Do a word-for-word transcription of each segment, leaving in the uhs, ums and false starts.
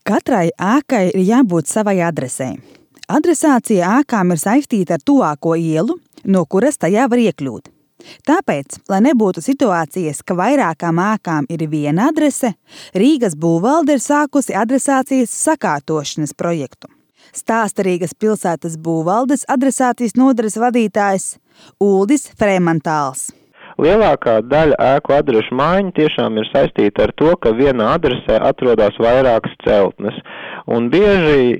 Katrai ēkai ir jābūt savai adresei. Adresācija ēkām ir saistīta ar tuvāko ielu, no kuras tajā var iekļūt. Tāpēc, lai nebūtu situācijas, ka vairākām ēkām ir viena adrese, Rīgas būvvalde ir sākusi adresācijas sakārtošanas projektu. Stāsta Rīgas pilsētas būvvaldes adresācijas nodaļas vadītājs Uldis Fremantāls. Lielākā daļa ēku adrešu maiņu tiešām ir saistīta ar to, ka vienā adresē atrodas vairākas celtnes, un bieži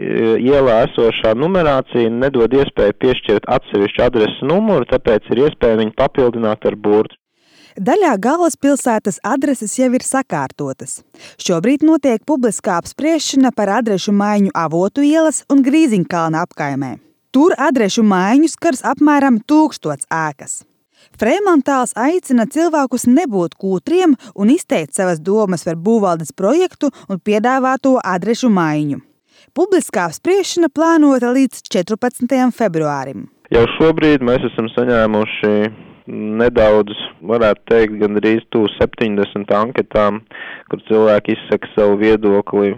ielā esošā numerācija nedod iespēju piešķirt atsevišķu adreses numuru, tāpēc ir iespēja viņu papildināt ar burtu. Daļā galvaspilsētas adreses jau ir sakārtotas. Šobrīd notiek publiskā apspriešana par adrešu maiņu Avotu ielas un Grīziņkalna apkaimē. Tur adrešu maiņu skars apmēram tūkstots ēkas. Fremantāls aicina cilvēkus nebūt kūtriem un izteikt savas domas par būvvaldes projektu un piedāvāto adrešu maiņu. Publiskā apspriešana plānota līdz četrpadsmitajam februārim. Jau šobrīd mēs esam saņēmuši nedaudz, varētu teikt, gandrīz tuvu septiņdesmit anketām, kur cilvēki izsaka savu viedokli.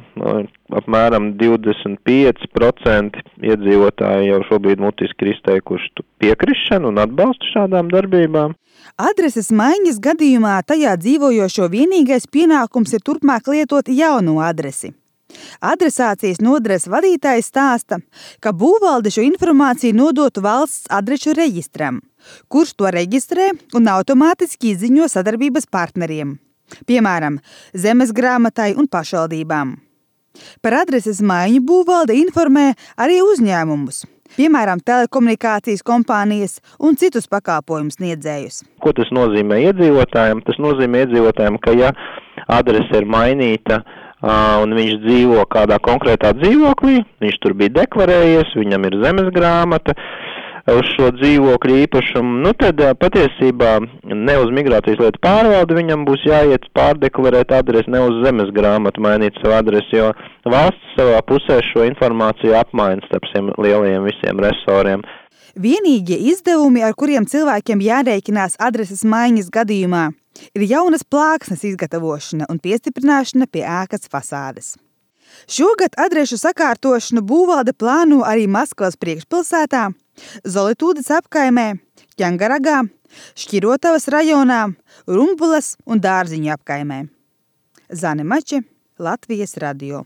Apmēram divdesmit pieci procenti iedzīvotāji jau šobrīd mutiski ir izteikuši piekrišanu un atbalstu šādām darbībām. Adreses maiņas gadījumā tajā dzīvojošo vienīgais pienākums ir turpmāk lietot jaunu adresi. Adresācijas nodaļas vadītājs stāsta, ka būvvalde šo informāciju nodotu valsts adrešu reģistram, kurš to reģistrē un automātiski izziņo sadarbības partneriem, piemēram, zemesgrāmatai un pašvaldībām. Par adreses maiņu būvvalde informē arī uzņēmumus, piemēram, telekomunikācijas kompānijas un citus pakalpojumu sniedzējus. Ko tas nozīmē iedzīvotājiem? Tas nozīmē iedzīvotājiem, ka ja adrese ir mainīta, un viņš dzīvo kādā konkrētā dzīvoklī, viņš tur bija deklarējies, viņam ir zemes grāmata uz šo dzīvokļu īpašumu, nu tad patiesībā ne uz migrācijas lietu pārvaldi viņam būs jāiet pārdeklarēt adresi, ne uz zemes grāmatu mainīt savu adresi, jo valsts savā pusē šo informāciju apmaina starp šiem lielajiem visiem resoriem. Vienīgie izdevumi, ar kuriem cilvēkiem jārēķinās adreses maiņas gadījumā, ir jaunas plāksnes izgatavošana un piestiprināšana pie ēkas fasādes. Šogad adrešu sakārtošanu būvvalde plāno arī Maskavas priekšpilsētā, Zolitūdes apkaimē, Ķangaragā, Šķirotavas rajonā, Rumbulas un Dārziņu apkaimē. Zane Mače, Latvijas radio.